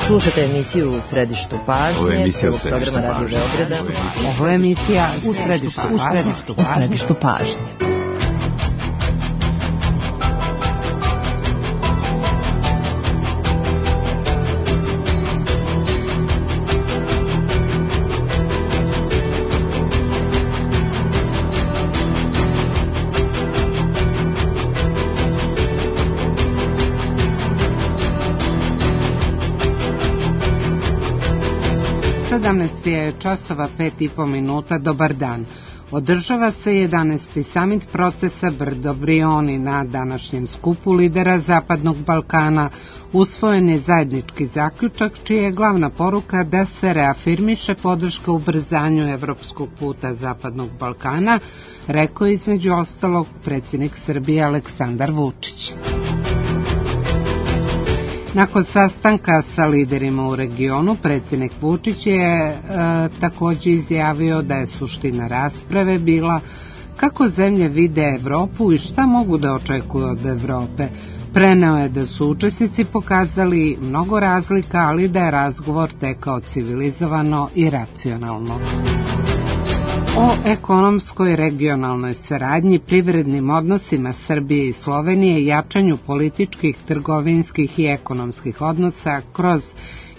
Slušate emisiju U središtu pažnje, prvog programa Radio Beograda. Ovo je emisija U središtu pažnje. Je časova 5:30. Dobar dan. Održava se 11. samit procesa Brdo-Brioni. Na današnjem skupu lidera Zapadnog Balkana usvojen je zajednički zaključak čija je glavna poruka da se reafirmiše podrška ubrzanju evropskog puta Zapadnog Balkana, rekao je između ostalog predsjednik Srbije Aleksandar Vučić. Nakon sastanka sa liderima u regionu, predsjednik Vučić je također izjavio da je suština rasprave bila kako zemlje vide Evropu i šta mogu da očekuju od Evrope. Preneo je da su učesnici pokazali mnogo razlika, ali da je razgovor tekao civilizovano i racionalno. O ekonomskoj regionalnoj saradnji, privrednim odnosima Srbije i Slovenije, jačanju političkih, trgovinskih i ekonomskih odnosa kroz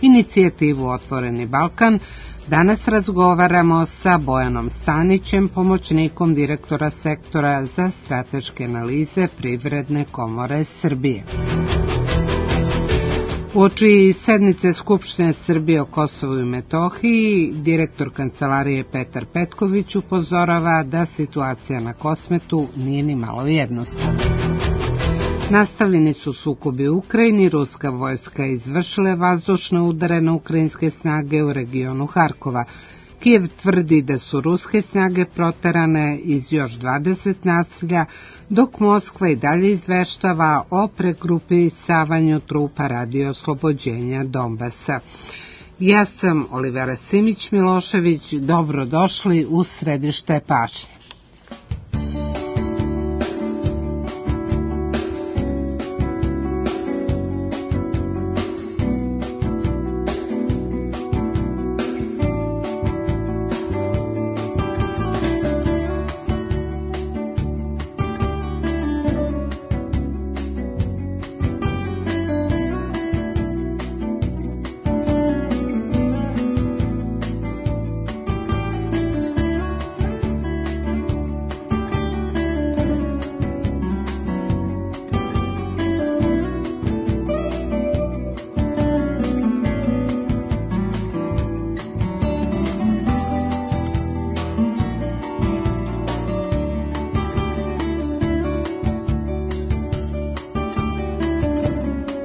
inicijativu Otvoreni Balkan, danas razgovaramo sa Bojanom Stanićem, pomoćnikom direktora sektora za strateške analize Privredne komore Srbije. Uoči sednice Skupštine Srbije o Kosovu i Metohiji, direktor kancelarije Petar Petković upozorava da situacija na Kosmetu nije ni malo jednostavna. Nastavljeni su sukobi u Ukrajini, ruska vojska izvršila vazdušne udare na ukrajinske snage u regionu Harkova. Kijev tvrdi da su ruske snage proterane iz još 20 naselja, dok Moskva i dalje izveštava o pregrupisavanju trupa radi oslobođenja Donbasa. Ja sam Olivera Simić-Milošević, dobrodošli u središte pažnje.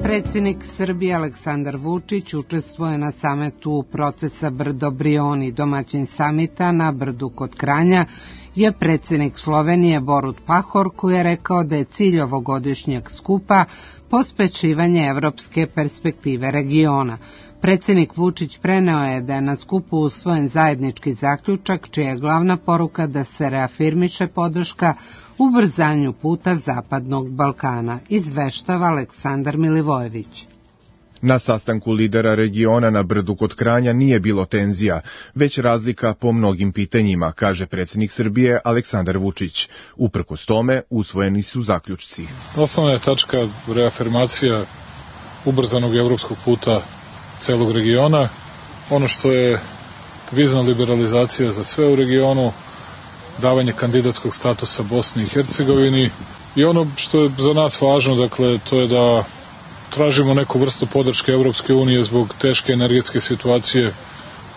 Predsjednik Srbije Aleksandar Vučić učestvuje na samitu procesa Brdo-Brioni. Domaćin samita na Brdu kod Kranja je predsjednik Slovenije Borut Pahor, koji je rekao da je cilj ovogodišnjeg skupa pospešivanje evropske perspektive regiona. Predsjednik Vučić preneo je da je na skupu usvojen zajednički zaključak čija je glavna poruka da se reafirmiše podrška ubrzanju puta Zapadnog Balkana, izveštava Aleksandar Milivojević. Na sastanku lidera regiona na Brdu kod Kranja nije bilo tenzija, već razlika po mnogim pitanjima, kaže predsjednik Srbije Aleksandar Vučić. Uprkos tome, usvojeni su zaključci. Osnovna je tačka reafirmacija ubrzanog evropskog puta celog regiona. Ono što je vizna liberalizacija za sve u regionu, davanje kandidatskog statusa Bosni i Hercegovini i ono što je za nas važno, dakle, to je da tražimo neku vrstu podrške Evropske unije zbog teške energetske situacije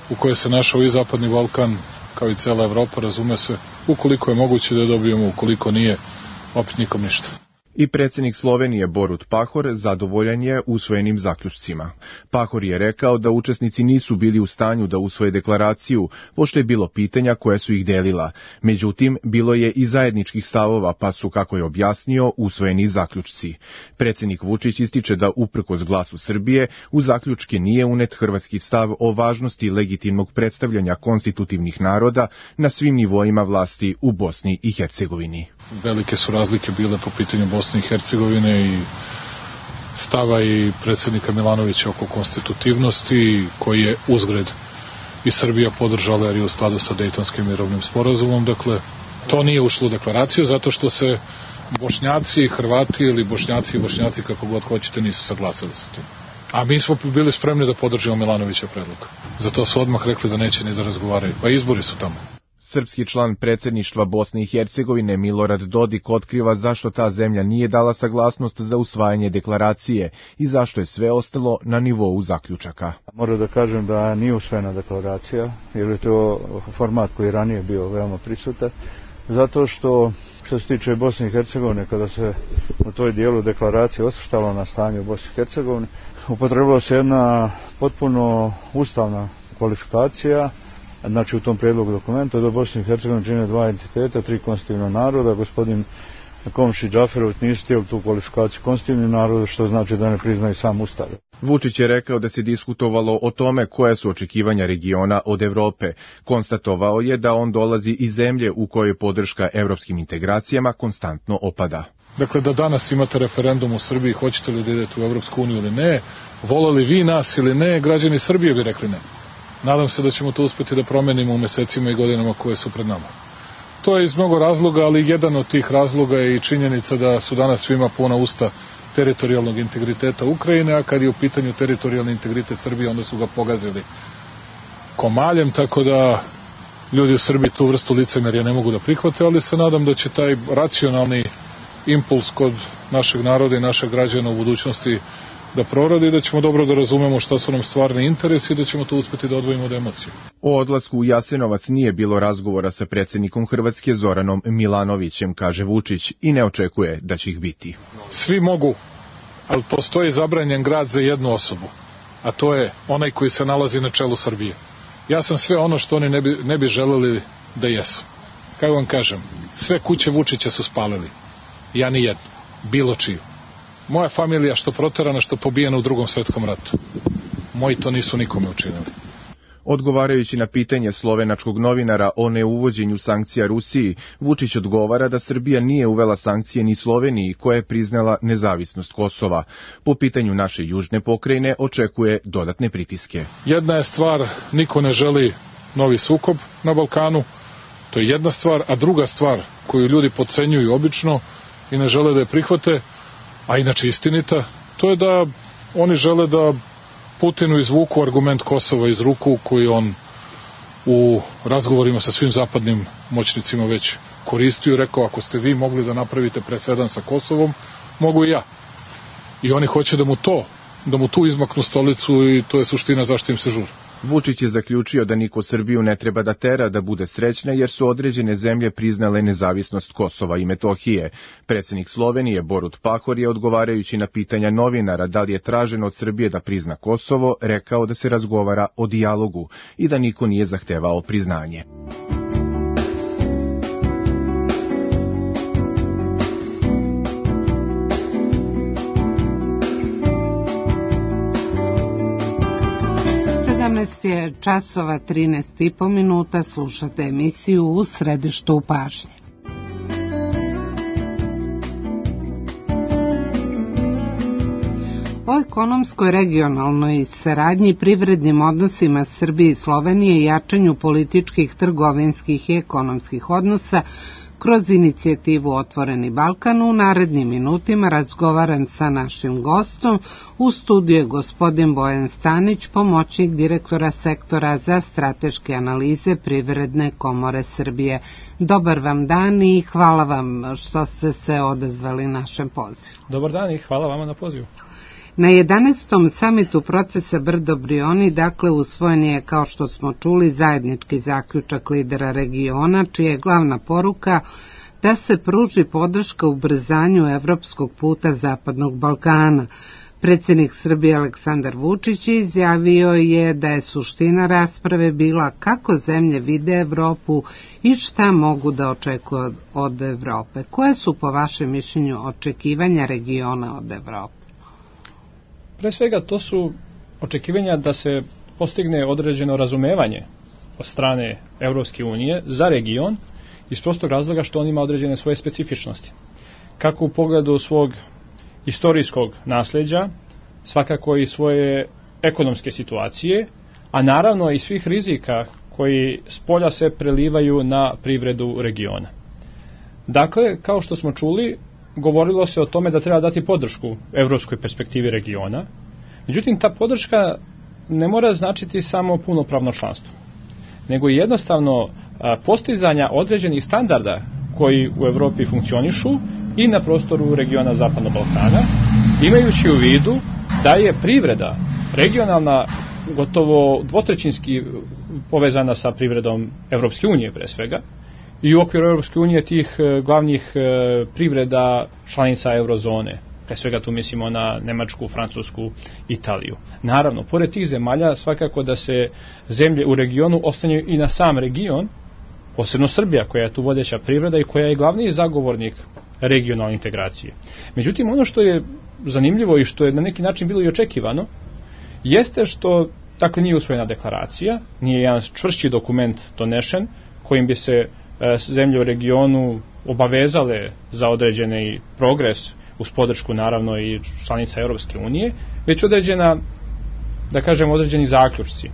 u kojoj se našao i Zapadni Balkan, kao i cela Evropa, razume se, ukoliko je moguće da dobijemo, ukoliko nije, opet nikom ništa. I predsjednik Slovenije Borut Pahor zadovoljan je usvojenim zaključcima. Pahor je rekao da učesnici nisu bili u stanju da usvoje deklaraciju, pošto je bilo pitanja koja su ih delila. Međutim, bilo je i zajedničkih stavova, pa su, kako je objasnio, usvojeni zaključci. Predsjednik Vučić ističe da uprkos glasu Srbije u zaključke nije unet hrvatski stav o važnosti legitimnog predstavljanja konstitutivnih naroda na svim nivoima vlasti u Bosni i Hercegovini. Velike su razlike bile po pitanju Bosne i Hercegovine i stava i predsjednika Milanovića oko konstitutivnosti, koji je uzgred i Srbija podržala jer je u skladu sa Dejtonskim mirovnim sporazumom. Dakle, to nije ušlo u deklaraciju zato što se Bošnjaci i Hrvati ili Bošnjaci i Bošnjaci, kako god hoćete, nisu saglasili sa tim. A mi smo bili spremni da podržimo Milanovića predlog. Zato su odmah rekli da neće ni da razgovaraju. Pa izbori su tamo. Srpski član predsjedništva Bosne i Hercegovine Milorad Dodik otkriva zašto ta zemlja nije dala saglasnost za usvajanje deklaracije i zašto je sve ostalo na nivou zaključaka. Moram da kažem da nije usvojena deklaracija, jer je to format koji je ranije bio veoma prisutan, zato što se tiče Bosne i Hercegovine, kada se u toj dijelu deklaracije osvrtalo na stanje u Bosni i Hercegovini, upotrebila se jedna potpuno ustavna kvalifikacija. Znači u tom prijedlogu dokumenta da Bosni i Hercegovini čine dva entiteta, tri konstitutivna naroda. Gospodin Komšić Džaferović nisu htjeli tu kvalifikaciju konstitutivnih naroda, što znači da ne priznaju sam ustav. Vučić je rekao da se diskutovalo o tome koja su očekivanja regiona od Evrope. Konstatovao je da on dolazi iz zemlje u kojoj podrška evropskim integracijama konstantno opada. Dakle, da danas imate referendum u Srbiji, hoćete li da idete u Evropsku uniju ili ne, voleli vi nas ili ne, građani Srbije bi rekli ne. Nadam se da ćemo to uspjeti da promenimo u mesecima i godinama koje su pred nama. To je iz mnogo razloga, ali jedan od tih razloga je i činjenica da su danas svima puna usta teritorijalnog integriteta Ukrajine, a kad je u pitanju teritorijalni integritet Srbije, onda su ga pogazili komaljem, tako da ljudi u Srbiji tu vrstu licemerja ne mogu da prihvate, ali se nadam da će taj racionalni impuls kod našeg naroda i našeg građana u budućnosti da proradi, da ćemo dobro da razumemo šta su nam stvarni interesi i da ćemo to uspjeti da odvojimo od emocije. O odlasku u Jasenovac nije bilo razgovora sa predsjednikom Hrvatske Zoranom Milanovićem, kaže Vučić, i ne očekuje da će ih biti. Svi mogu, ali postoji zabranjen grad za jednu osobu, a to je onaj koji se nalazi na čelu Srbije. Ja sam sve ono što oni ne bi želeli da jesu. Kako vam kažem, sve kuće Vučića su spalili. Ja ni jednu, bilo čiju. Moja familija što proterana, što pobijena u Drugom svjetskom ratu. Moji to nisu nikome učinili. Odgovarajući na pitanje slovenačkog novinara o neuvođenju sankcija Rusiji, Vučić odgovara da Srbija nije uvela sankcije ni Sloveniji, koja je priznala nezavisnost Kosova. Po pitanju naše južne pokrajine očekuje dodatne pritiske. Jedna je stvar, niko ne želi novi sukob na Balkanu, to je jedna stvar, a druga stvar koju ljudi podcenjuju obično i ne žele da je prihvate, a inače istinita, to je da oni žele da Putinu izvuku argument Kosova iz ruku koji on u razgovorima sa svim zapadnim moćnicima već koristio i rekao, ako ste vi mogli da napravite presedan sa Kosovom, mogu i ja. I oni hoće da mu tu izmaknu stolicu i to je suština zašto im se žuri. Vučić je zaključio da niko Srbiju ne treba da tera da bude srećna jer su određene zemlje priznale nezavisnost Kosova i Metohije. Predsjednik Slovenije Borut Pahor je odgovarajući na pitanja novinara da li je traženo od Srbije da prizna Kosovo, rekao da se razgovara o dijalogu i da niko nije zahtevao priznanje. Je časova 13,5 minuta, slušate emisiju U središtu pažnje. O ekonomskoj, regionalnoj saradnji i privrednim odnosima Srbije i Slovenije i jačanju političkih, trgovinskih i ekonomskih odnosa kroz inicijativu Otvoreni Balkan u narednim minutima razgovaram sa našim gostom. U studiju je gospodin Bojan Stanić, pomoćnik direktora sektora za strateške analize Privredne komore Srbije. Dobar vam dan i hvala vam što ste se odazvali našem pozivu. Dobar dan i hvala vama na pozivu. Na 11. samitu procesa Brdo-Brioni, dakle, usvojen je, kao što smo čuli, zajednički zaključak lidera regiona, čija je glavna poruka da se pruži podrška ubrzanju evropskog puta Zapadnog Balkana. Predsjednik Srbije Aleksandar Vučić izjavio je da je suština rasprave bila kako zemlje vide Evropu i šta mogu da očekuju od Evrope. Koje su, po vašem mišljenju, očekivanja regiona od Evrope? Pre svega, to su očekivanja da se postigne određeno razumevanje od strane Evropske unije za region iz prostog razloga što on ima određene svoje specifičnosti. Kako u pogledu svog istorijskog nasljeđa, svakako i svoje ekonomske situacije, a naravno i svih rizika koji s polja se prelivaju na privredu regiona. Dakle, kao što smo čuli, govorilo se o tome da treba dati podršku evropskoj perspektivi regiona, međutim ta podrška ne mora značiti samo punopravno članstvo, nego i jednostavno postizanja određenih standarda koji u Evropi funkcionišu i na prostoru regiona Zapadnog Balkana, imajući u vidu da je privreda regionalna gotovo dvotrećinski povezana sa privredom Evropske unije pre svega, i u okviru Evropske unije tih glavnih privreda članica eurozone. Pre svega tu mislimo na Nemačku, Francusku, Italiju. Naravno, pored tih zemalja svakako da se zemlje u regionu ostanju i na sam region, posebno Srbija koja je tu vodeća privreda i koja je glavni zagovornik regionalne integracije. Međutim, ono što je zanimljivo i što je na neki način bilo i očekivano, jeste što, dakle, nije usvojena deklaracija, nije jedan čvršći dokument donešen kojim bi se zemlje u regionu obavezale za određeni progres uz podršku naravno i članica Europske unije, već određena, da kažem, određeni zaključci.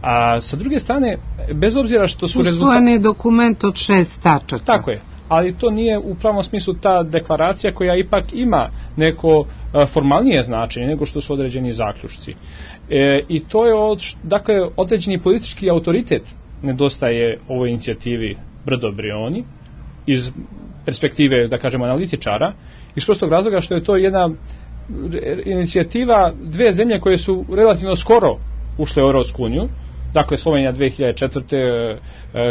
A sa druge strane, bez obzira što su usvojen je dokument od 6 tačaka. Tako je, ali to nije u pravom smislu ta deklaracija koja ipak ima neko formalnije značenje nego što su određeni zaključci. I to je, dakle, određeni politički autoritet nedostaje ovoj inicijativi Brdo Brioni iz perspektive, da kažemo, analitičara, iz prostog razloga što je to jedna inicijativa dve zemlje koje su relativno skoro ušle u Europsku uniju, dakle Slovenija 2004.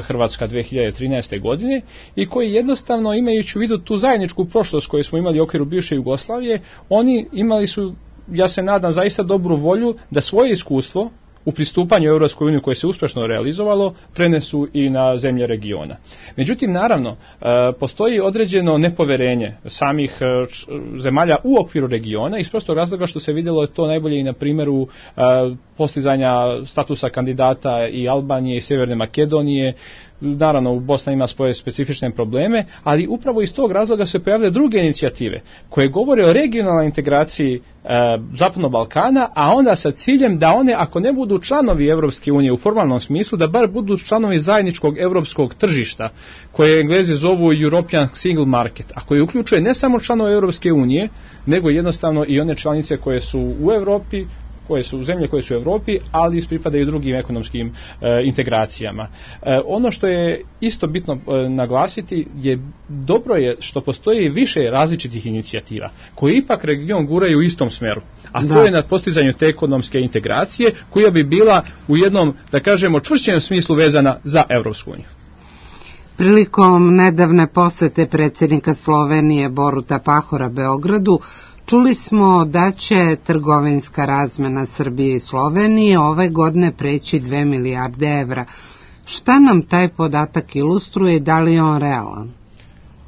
Hrvatska 2013. godine, i koji jednostavno, imajući u vidu tu zajedničku prošlost koju smo imali u okviru bivše Jugoslavije, oni imali su, ja se nadam, zaista dobru volju da svoje iskustvo u pristupanju Europskoj uniji koje se uspješno realizovalo prenesu i na zemlje regiona. Međutim, naravno, postoji određeno nepoverenje samih zemalja u okviru regiona iz prostog razloga što se vidjelo to najbolje i na primjeru postizanja statusa kandidata i Albanije i Sjeverne Makedonije. Naravno, Bosna ima svoje specifične probleme, ali upravo iz tog razloga se pojavljaju druge inicijative koje govore o regionalnoj integraciji Zapadnog Balkana, a onda sa ciljem da one, ako ne budu članovi Evropske unije u formalnom smislu, da bar budu članovi zajedničkog europskog tržišta, koje Englezi zovu European Single Market, a koje uključuje ne samo članove Evropske unije, nego jednostavno i one članice koje su u Evropi, koje su zemlje koje su u Evropi, ali pripadaju drugim ekonomskim integracijama. Ono što je isto bitno naglasiti je dobro je što postoji više različitih inicijativa koje ipak region guraju u istom smeru, a to je na postizanju te ekonomske integracije koja bi bila u jednom, da kažemo, čvršćem smislu vezana za Evropsku uniju. Prilikom nedavne posete predsjednika Slovenije Boruta Pahora Beogradu, čuli smo da će trgovinska razmena Srbije i Slovenije ove godine preći 2 milijarde evra. Šta nam taj podatak ilustruje i da li je on realan?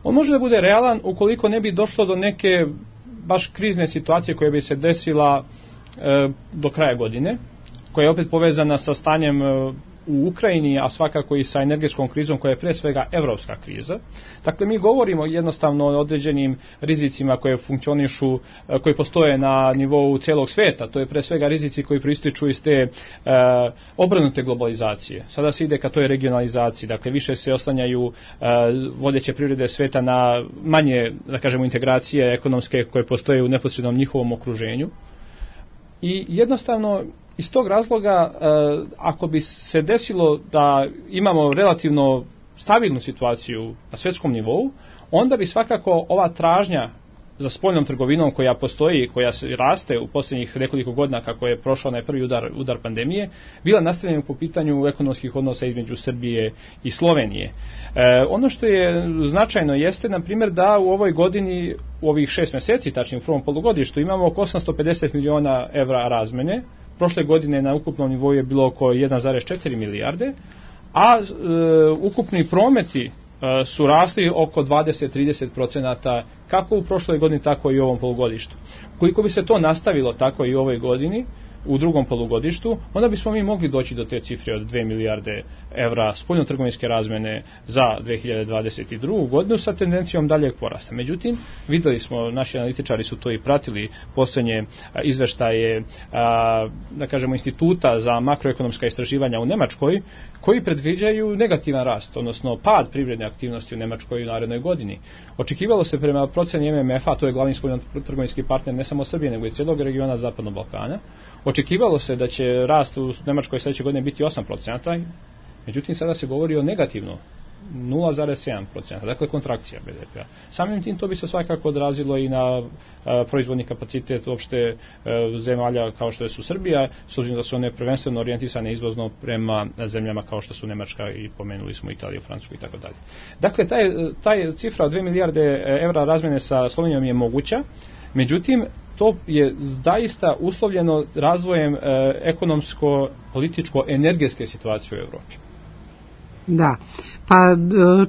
On može da bude realan ukoliko ne bi došlo do neke baš krizne situacije koja bi se desila do kraja godine, koja je opet povezana sa stanjem u Ukrajini, a svakako i sa energetskom krizom koja je pre svega evropska kriza. Dakle, mi govorimo jednostavno o određenim rizicima koje funkcionišu, koji postoje na nivou cijelog sveta. To je pre svega rizici koji proističu iz te obrnute globalizacije. Sada se ide ka toj regionalizaciji, dakle više se oslanjaju vodeće privrede sveta na manje, da kažemo, integracije ekonomske koje postoje u neposrednom njihovom okruženju. I jednostavno iz tog razloga, ako bi se desilo da imamo relativno stabilnu situaciju na svjetskom nivou, onda bi svakako ova tražnja za spoljnom trgovinom koja postoji, koja se raste u posljednjih nekoliko godina kako je prošao onaj prvi udar pandemije, bila nastavljena po pitanju ekonomskih odnosa između Srbije i Slovenije. Ono što je značajno jeste, na primjer, da u ovoj godini, u ovih 6 mjeseci, tačnije u prvom polugodištu, imamo oko 850 miliona evra razmene. Prošle godine na ukupnom nivou je bilo oko 1,4 milijarde, a ukupni prometi su rasli oko 20-30% kako u prošloj godini, tako i u ovom polugodištu. Koliko bi se to nastavilo tako i u ovoj godini, u drugom polugodištu, onda bismo mi mogli doći do te cifre od 2 milijarde evra spoljnotrgovinske razmene za 2022. godinu sa tendencijom daljeg porasta. Međutim, videli smo, naši analitičari su to i pratili, posljednje izveštaje, da kažemo, instituta za makroekonomska istraživanja u Nemačkoj, koji predviđaju negativan rast, odnosno pad privredne aktivnosti u Nemačkoj u narednoj godini. Očekivalo se prema proceni MMF-a, to je glavni spoljnotrgovinski partner ne samo Srbije, nego i cijelog regiona Zapadnog Balkana, očekivalo se da će rast u Nemačkoj sljedeće godine biti 8%, međutim sada se govori o negativno 0,7%, dakle kontrakcija BDP-a. Samim tim to bi se svakako odrazilo i na proizvodni kapacitet uopšte zemalja kao što su Srbija, s obzirom da su one prvenstveno orijentisane izvozno prema zemljama kao što su Nemačka i pomenuli smo Italiju, Francusku i tako dalje. Dakle, taj cifra od 2 milijarde evra razmjene sa Slovenijom je moguća, međutim, to je zaista uslovljeno razvojem ekonomsko-političko-energetske situacije u Evropi. Da, pa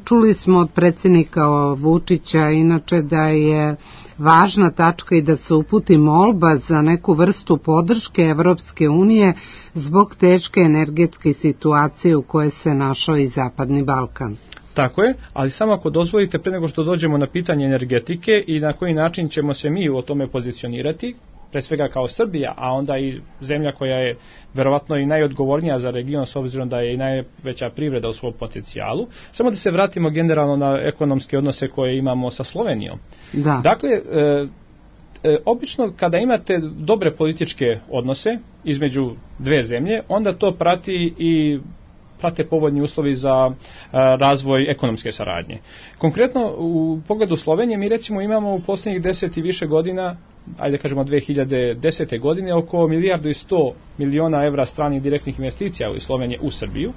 čuli smo od predsjednika Vučića inače da je važna tačka i da se uputi molba za neku vrstu podrške Evropske unije zbog teške energetske situacije u kojoj se našao i Zapadni Balkan. Tako je, ali samo ako dozvolite, pre nego što dođemo na pitanje energetike i na koji način ćemo se mi o tome pozicionirati, pre svega kao Srbija, a onda i zemlja koja je verovatno i najodgovornija za region s obzirom da je i najveća privreda u svom potencijalu. Samo da se vratimo generalno na ekonomske odnose koje imamo sa Slovenijom. Da. Dakle, obično kada imate dobre političke odnose između dve zemlje, onda to prate povoljni uslovi za razvoj ekonomske saradnje. Konkretno, u pogledu Slovenije mi recimo imamo u posljednjih 10 i više godina, ajde kažemo 2010. godine, oko 1,1 milijarda evra stranih direktnih investicija u Slovenije u Srbiju.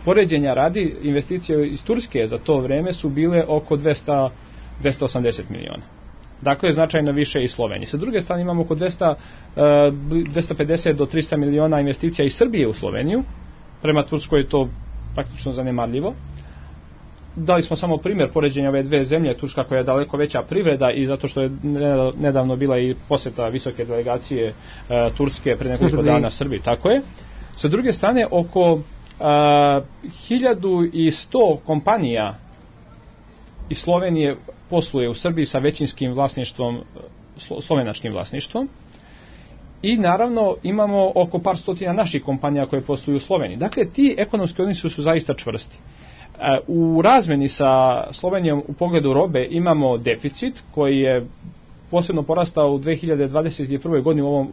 Poređenja radi, investicije iz Turske za to vreme su bile oko 280 miliona. Dakle, značajno više i Slovenije. Sa druge strane imamo oko 250 do 300 miliona investicija iz Srbije u Sloveniju. Prema Turskoj je to praktično zanemarljivo. Dali smo samo primjer poređenja ove dve zemlje, Turska koja je daleko veća privreda i zato što je nedavno bila i posjeta visoke delegacije Turske pre nekoliko dana Srbiji. Tako je. Sa druge strane, oko 1100 kompanija iz Slovenije posluje u Srbiji sa većinskim vlasništvom, slovenačkim vlasništvom. I naravno imamo oko par stotina naših kompanija koje posluju u Sloveniji. Dakle, ti ekonomski odnosi su zaista čvrsti. U razmeni sa Slovenijom u pogledu robe imamo deficit koji je posebno porastao u 2021. godini,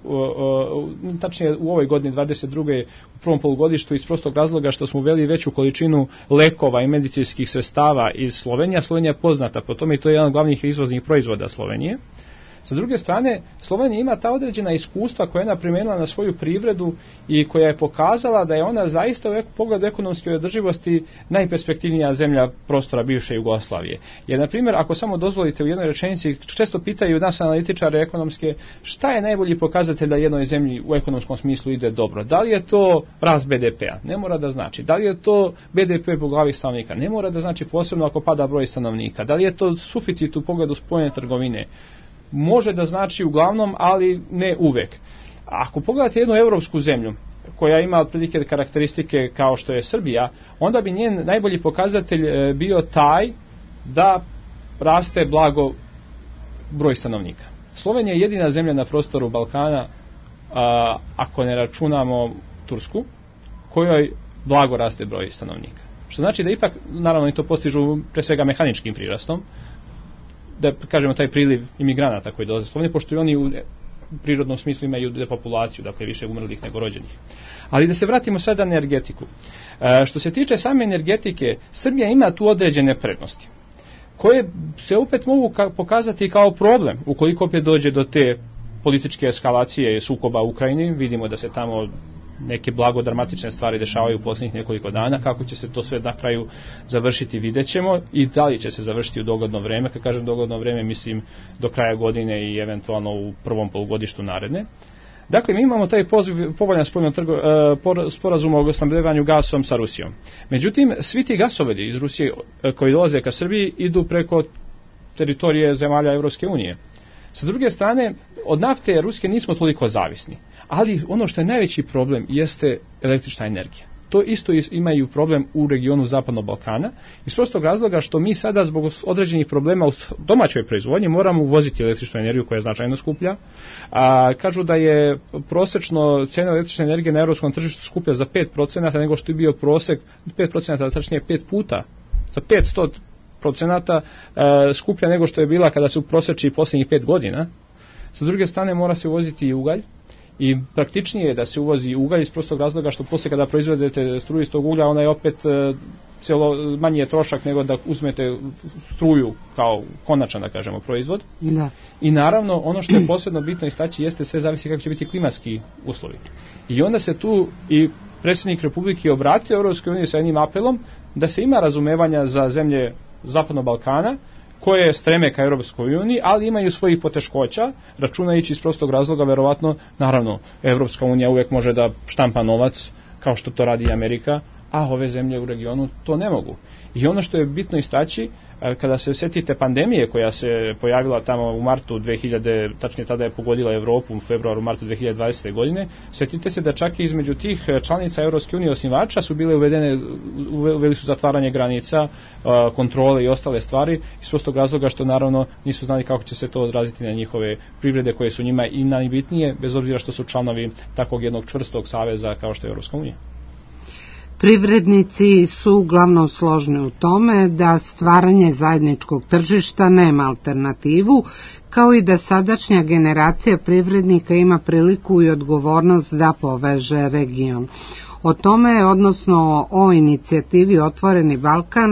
tačnije u ovoj godini 2022. u prvom polugodištu iz prostog razloga što smo uveli veću količinu lekova i medicinskih sredstava iz Slovenije. Slovenija je poznata po tome i to je jedan od glavnih izvoznih proizvoda Slovenije. Sa druge strane, Slovenija ima ta određena iskustva koja je ona primijenila na svoju privredu i koja je pokazala da je ona zaista u pogledu ekonomske održivosti najperspektivnija zemlja prostora bivše Jugoslavije. Jer, na primjer, ako samo dozvolite u jednoj rečenici, često pitaju nas analitičare ekonomske šta je najbolji pokazatelj da jednoj zemlji u ekonomskom smislu ide dobro. Da li je to rast BDP-a? Ne mora da znači. Da li je to BDP po glavi stanovnika? Ne mora da znači, posebno ako pada broj stanovnika. Da li je to suficit u pogledu spoljne trgovine? Može da znači uglavnom, ali ne uvek. Ako pogledate jednu europsku zemlju koja ima otprilike karakteristike kao što je Srbija, onda bi njen najbolji pokazatelj bio taj da raste blago broj stanovnika. Slovenija je jedina zemlja na prostoru Balkana, ako ne računamo Tursku, kojoj blago raste broj stanovnika. Što znači da ipak, naravno i to postižu pre svega mehaničkim prirastom, da kažemo taj priliv imigranata koji dolaze u Sloveniju, pošto i oni u prirodnom smislu imaju depopulaciju, dakle više umrlih nego rođenih. Ali da se vratimo sada na energetiku. Što se tiče same energetike, Srbija ima tu određene prednosti, koje se opet mogu pokazati kao problem, ukoliko opet dođe do te političke eskalacije sukoba u Ukrajini. Vidimo da se tamo neke blago dramatične stvari dešavaju u posljednjih nekoliko dana. Kako će se to sve na kraju završiti, vidjet ćemo, i da li će se završiti u dogledno vreme. Kad kažem dogledno vreme, mislim do kraja godine i eventualno u prvom polugodištu naredne. Dakle, mi imamo taj povoljan sporazum o snabdevanju gasom sa Rusijom. Međutim, svi ti gasovodi iz Rusije koji dolaze ka Srbiji idu preko teritorije zemalja Evropske unije. Sa druge strane, od nafte ruske nismo toliko zavisni, ali ono što je najveći problem jeste električna energija. To isto imaju problem u regionu Zapadnog Balkana, iz prostog razloga što mi sada zbog određenih problema u domaćoj proizvodnji moramo uvoziti električnu energiju koja je značajno skuplja. Kažu da je prosečno cena električne energije na europskom tržištu skuplja za 5% nego što je bio prosek, 5%, tačnije 5 puta, za 500% skuplja nego što je bila kada se uproseči posljednjih 5 godina. Sa druge strane mora se uvoziti i ugalj. I praktičnije je da se uvozi ugalj iz prostog razloga što poslije kada proizvedete struju iz tog uglja, ona je opet manji je trošak nego da uzmete struju kao konačan, da kažemo, proizvod. Da. I naravno, ono što je posebno bitno istaći jeste sve zavisi kako će biti klimatski uslovi. I onda se tu i predsjednik Republike obratio Europskoj uniji sa jednim apelom da se ima razumevanja za zemlje Zapadnog Balkana, koje streme ka Europskoj uniji, ali imaju svojih poteškoća, računajući iz prostog razloga, verovatno, naravno, Europska unija uvijek može da štampa novac, kao što to radi i Amerika, a ove zemlje u regionu to ne mogu. I ono što je bitno istaći, kada se sjetite pandemije koja se pojavila tamo u martu 2000, tačnije tada je pogodila Europu u februaru, martu 2020. godine, sjetite se da čak i između tih članica Europske unije osnivača su bile uveli su zatvaranje granica, kontrole i ostale stvari, iz prostog razloga što naravno nisu znali kako će se to odraziti na njihove privrede koje su njima i najbitnije, bez obzira što su članovi takvog jednog čvrstog saveza kao što je Europska unija. Privrednici su uglavnom složni u tome da stvaranje zajedničkog tržišta nema alternativu, kao i da sadašnja generacija privrednika ima priliku i odgovornost da poveže region. O tome, odnosno o inicijativi Otvoreni Balkan,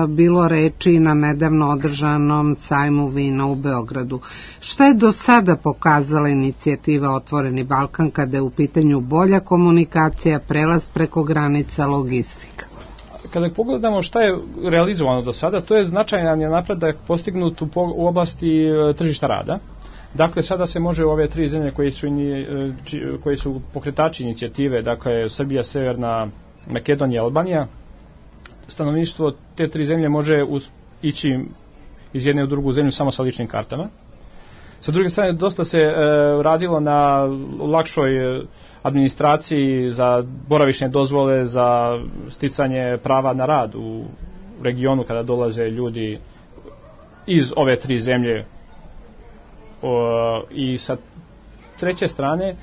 bilo reči na nedavno održanom sajmu vina u Beogradu. Šta je do sada pokazala inicijativa Otvoreni Balkan kada je u pitanju bolja komunikacija, prelaz preko granica, logistika? Kada pogledamo šta je realizovano do sada, to je značajan napredak postignut u oblasti tržišta rada. Dakle, sada se može u ove tri zemlje koji su pokretači inicijative, dakle Srbija, Severna Makedonija, Albanija, stanovništvo te tri zemlje može ići iz jedne u drugu zemlju samo sa ličnim kartama. Sa druge strane, dosta se radilo na lakšoj administraciji za boravišne dozvole, za sticanje prava na rad u regionu kada dolaze ljudi iz ove tri zemlje. I sa treće strane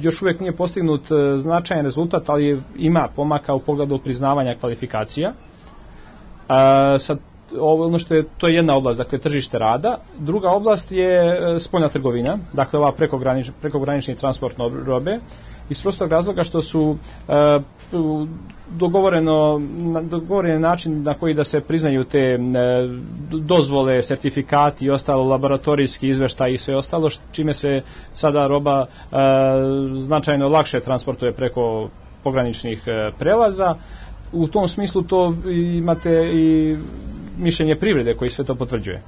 još uvijek nije postignut značajan rezultat, ali ima pomaka u pogledu priznavanja kvalifikacija. To je jedna oblast, dakle tržište rada. Druga oblast je spoljna trgovina, dakle ova prekogranični transport robe, iz prostog razloga što su dogovoren način na koji da se priznaju te dozvole, sertifikati i ostalo, laboratorijski izveštaj i sve ostalo, čime se sada roba značajno lakše transportuje preko pograničnih prelaza. U tom smislu to imate i mišljenje privrede koji sve to potvrđuje.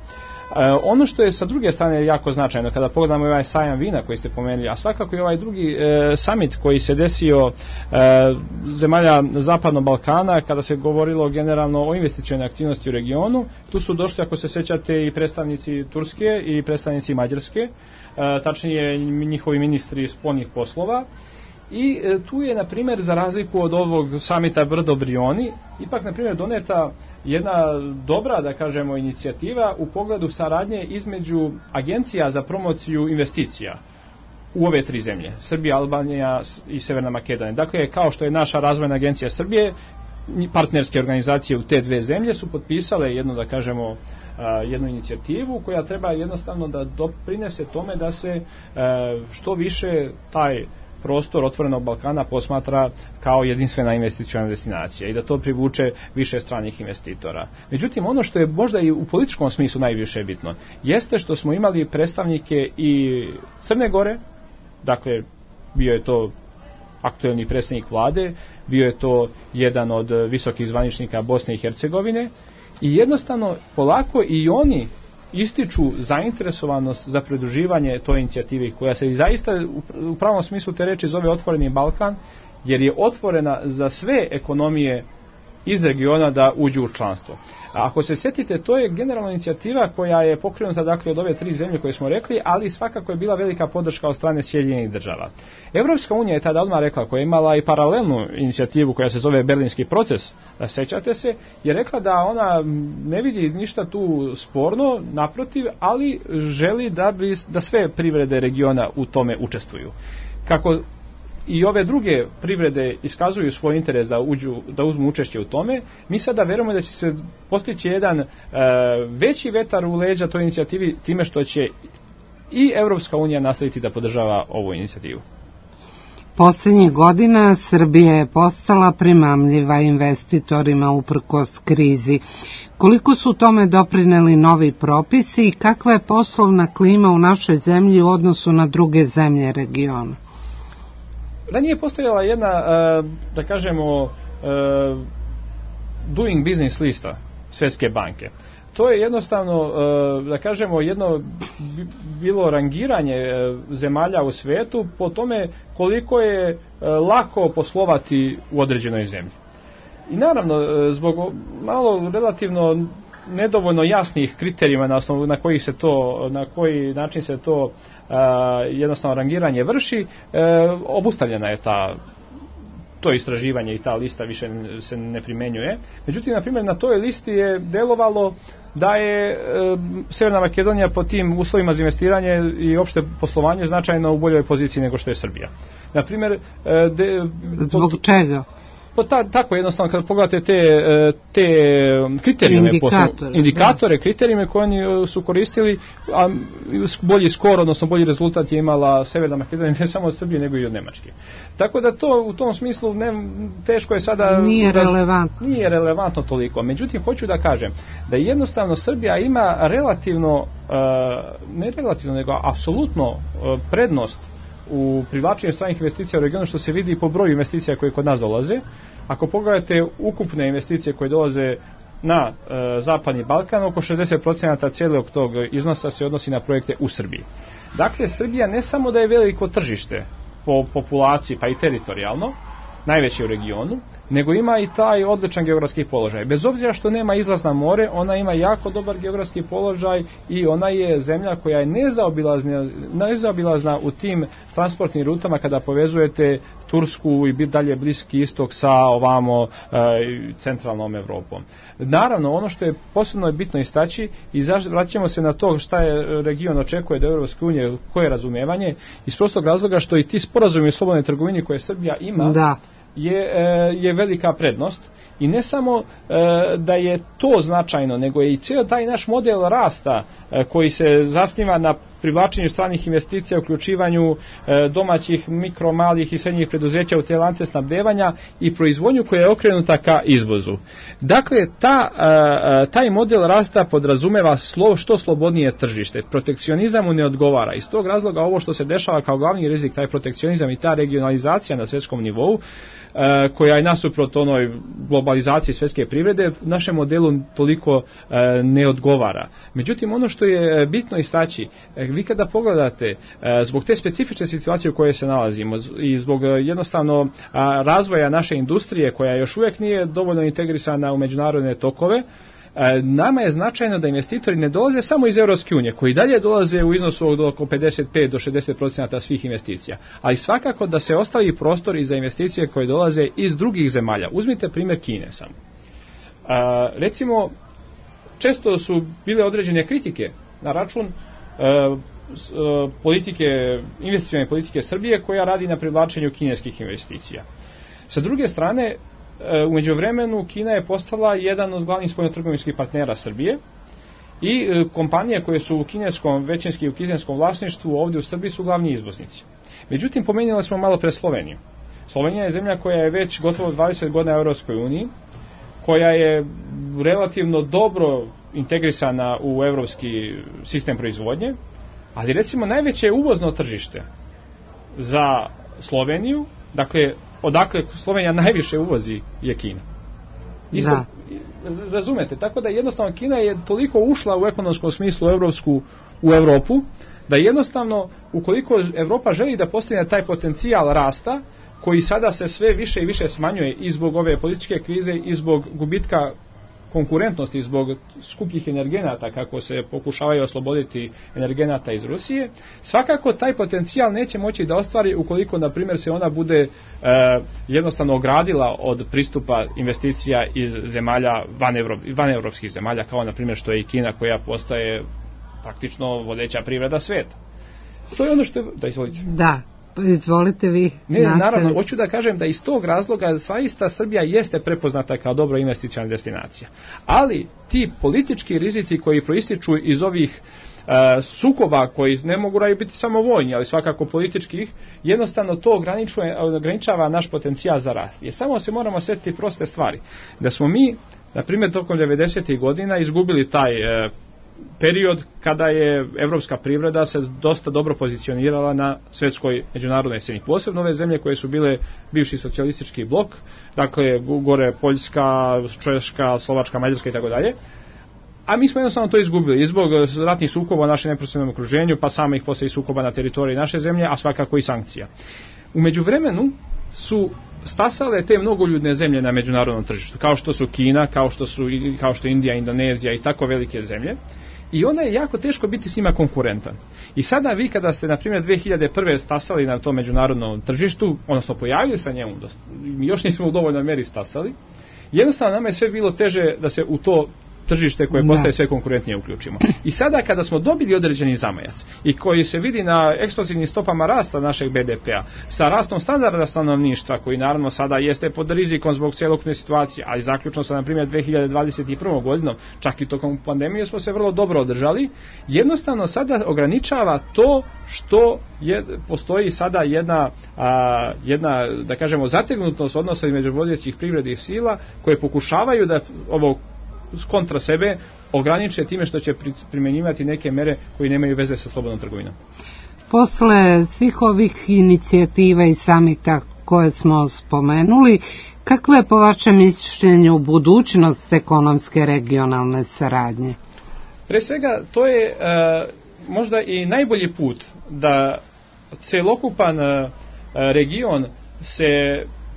Ono što je sa druge strane jako značajno kada pogledamo ovaj sajam vina koji ste pomenuli, a svakako i ovaj drugi summit koji se desio zemalja Zapadnog Balkana kada se govorilo generalno o investicionoj aktivnosti u regionu, tu su došli, ako se sjećate, i predstavnici Turske i predstavnici Mađarske, tačnije njihovi ministri spoljnih poslova. I tu je, na primjer, za razliku od ovog samita Brdo Brioni, ipak, na primjer, doneta jedna dobra, da kažemo, inicijativa u pogledu saradnje između agencija za promociju investicija u ove tri zemlje, Srbija, Albanija i Severna Makedonija. Dakle, kao što je naša razvojna agencija Srbije, partnerske organizacije u te dve zemlje su potpisale jednu, da kažemo, jednu inicijativu koja treba jednostavno da doprinese tome da se što više taj prostor Otvorenog Balkana posmatra kao jedinstvena investiciona destinacija i da to privuče više stranih investitora. Međutim, ono što je možda i u političkom smislu najviše bitno, jeste što smo imali predstavnike i Crne Gore, dakle bio je to aktuelni predsjednik vlade, bio je to jedan od visokih zvaničnika Bosne i Hercegovine i jednostavno polako i oni ističu zainteresovanost za pridruživanje toj inicijativi koja se i zaista u pravom smislu te reči zove Otvoreni Balkan, jer je otvorena za sve ekonomije iz regiona da uđu u članstvo. A ako se sjetite, to je generalna inicijativa koja je pokrenuta dakle od ove 3 zemlje koje smo rekli, ali svakako je bila velika podrška od strane Sjedinjenih država. Evropska unija je tada odmah rekla, koja je imala i paralelnu inicijativu koja se zove Berlinski proces, sećate se, je rekla da ona ne vidi ništa tu sporno, naprotiv, ali želi da sve privrede regiona u tome učestvuju. Kako i ove druge privrede iskazuju svoj interes da uzmu učešće u tome, mi sada verujemo da će se postići jedan veći vetar u leđa toj inicijativi time što će i Evropska unija nastaviti da podržava ovu inicijativu. Posljednjih godina Srbija je postala primamljiva investitorima uprkos krizi. Koliko su tome doprineli novi propisi i kakva je poslovna klima u našoj zemlji u odnosu na druge zemlje regiona? Ranije je postojala jedna, da kažemo, doing business lista Svjetske banke. To je jednostavno, da kažemo, jedno bilo rangiranje zemalja u svijetu po tome koliko je lako poslovati u određenoj zemlji. I naravno, zbog malo relativno nedovoljno jasnih kriterijima na osnovu na koji način se to jednostavno rangiranje vrši, obustavljena je to istraživanje i ta lista više se ne primjenjuje. Međutim, na primjer, na toj listi je delovalo da je Sjeverna Makedonija po tim uslovima za investiranje i opšte poslovanje značajno u boljoj poziciji nego što je Srbija. Na primjer, zbog čega? Tako jednostavno kad pogledate te kriterijume, indikatore, kriterijume koje oni su koristili, a bolji skor, odnosno bolji rezultat je imala Severna Makedonija ne samo od Srbije nego i od Nemačke. Tako da to u tom smislu teško je sada... Nije relevantno toliko. Međutim, hoću da kažem da jednostavno Srbija ima relativno, ne relativno, nego apsolutno prednost u privlačenju stranih investicija u regionu, što se vidi po broju investicija koje kod nas dolaze. Ako pogledate ukupne investicije koje dolaze na Zapadni Balkan, oko 60% cijelog tog iznosa se odnosi na projekte u Srbiji. Dakle, Srbija ne samo da je veliko tržište po populaciji, pa i teritorijalno, najveći u regionu, nego ima i taj odličan geografski položaj. Bez obzira što nema izlaz na more, ona ima jako dobar geografski položaj i ona je zemlja koja je nezaobilazna u tim transportnim rutama kada povezujete Tursku i dalje Bliski istok sa ovamo centralnom Evropom. Naravno, ono što je posebno bitno istaći i vraćamo se na to šta je region očekuje od Evropske unije, koje je razumijevanje, iz prostog razloga što i ti sporazumi o slobodnoj trgovini koje Srbija ima, je velika prednost. I ne samo da je to značajno, nego je i cijel taj naš model rasta koji se zasniva na privlačenju stranih investicija, uključivanju domaćih, mikro, malih i srednjih preduzeća u te lance snabdevanja i proizvodnju koja je okrenuta ka izvozu. Dakle, taj model rasta podrazumeva što slobodnije tržište. Protekcionizam mu ne odgovara. Iz tog razloga ovo što se dešava kao glavni rizik, taj protekcionizam i ta regionalizacija na svjetskom nivou, koja je nasuprot onoj globalizaciji svjetske privrede, našem modelu toliko ne odgovara. Međutim, ono što je bitno istaći, vi kada pogledate zbog te specifične situacije u kojoj se nalazimo i zbog jednostavno razvoja naše industrije koja još uvijek nije dovoljno integrisana u međunarodne tokove, nama je značajno da investitori ne dolaze samo iz Europske unije, koji dalje dolaze u iznosu od oko 55 do 60% svih investicija, ali svakako da se ostavi prostor i za investicije koje dolaze iz drugih zemalja. Uzmite primjer Kine samo. Recimo, često su bile određene kritike na račun investicione politike Srbije koja radi na privlačenju kineskih investicija. Sa druge strane, u međuvremenu Kina je postala jedan od glavnih spoljnotrgovinskih partnera Srbije i kompanije koje su većinski u kineskom vlasništvu ovdje u Srbiji su glavni izvoznici. Međutim, pomenuli smo malo pre Sloveniju. Slovenija je zemlja koja je već gotovo 20 godina u Europskoj uniji, koja je relativno dobro integrisana u europski sistem proizvodnje, ali recimo najveće uvozno tržište za Sloveniju, dakle odakle Slovenija najviše uvozi, je Kina. Razumete, tako da jednostavno Kina je toliko ušla u ekonomskom smislu u Europu, da jednostavno ukoliko Europa želi da postigne taj potencijal rasta, koji sada se sve više i više smanjuje i zbog ove političke krize i zbog gubitka konkurentnosti, zbog skupljih energenata, kako se pokušavaju osloboditi energenata iz Rusije, svakako taj potencijal neće moći da ostvari ukoliko, na primjer, se ona bude jednostavno ogradila od pristupa investicija iz zemalja van evropskih zemalja, kao na primjer što je i Kina, koja postaje praktično vodeća privreda sveta. To je ono što je... Da, izvolite. Da. Izvolite vi. Ne, naravno, hoću da kažem da iz tog razloga zaista Srbija jeste prepoznata kao dobra investiciona destinacija. Ali ti politički rizici koji proističu iz ovih sukoba, koji ne mogu biti samo vojni, ali svakako političkih, jednostavno to ograničava naš potencijal za rast. Jer samo se moramo sjetiti proste stvari. Da smo mi, na primjer, tokom 90. godina izgubili taj period kada je evropska privreda se dosta dobro pozicionirala na svjetskoj međunarodnoj sceni. Posebno ove zemlje koje su bile bivši socijalistički blok, dakle gore Poljska, Češka, Slovačka, Mađarska i tako dalje. A mi smo jednostavno to izgubili zbog ratnih sukoba u našem neposrednom okruženju, pa samih poslije sukoba na teritoriji naše zemlje, a svakako i sankcija. U međuvremenu su stasale te mnogoljudne zemlje na međunarodnom tržištu, kao što su Kina, kao što je Indija, Indonezija i tako velike zemlje. I onda je jako teško biti s njima konkurentan. I sada vi kada ste, na primjer, 2001. stasali na tom međunarodnom tržištu, odnosno pojavili sa njemu, mi još nismo u dovoljnoj meri stasali, jednostavno nama je sve bilo teže da se u to tržište koje postaje sve konkurentnije uključimo. I sada kada smo dobili određeni zamajac i koji se vidi na eksplozivnim stopama rasta našeg BDP-a, sa rastom standarda stanovništva, koji naravno sada jeste pod rizikom zbog celokupne situacije, ali zaključno sa, na primjer, 2021. godinom, čak i tokom pandemije smo se vrlo dobro održali, jednostavno sada ograničava to što postoji sada jedna, da kažemo, zategnutost odnosa između vodećih privrednih sila koje pokušavaju da ovo kontra sebe ograniče time što će primjenjivati neke mere koje nemaju veze sa slobodnom trgovinom. Posle svih ovih inicijativa i samita koje smo spomenuli, kakva je po vašem mišljenju budućnost ekonomske regionalne saradnje? Pre svega, to je možda i najbolji put da celokupan region se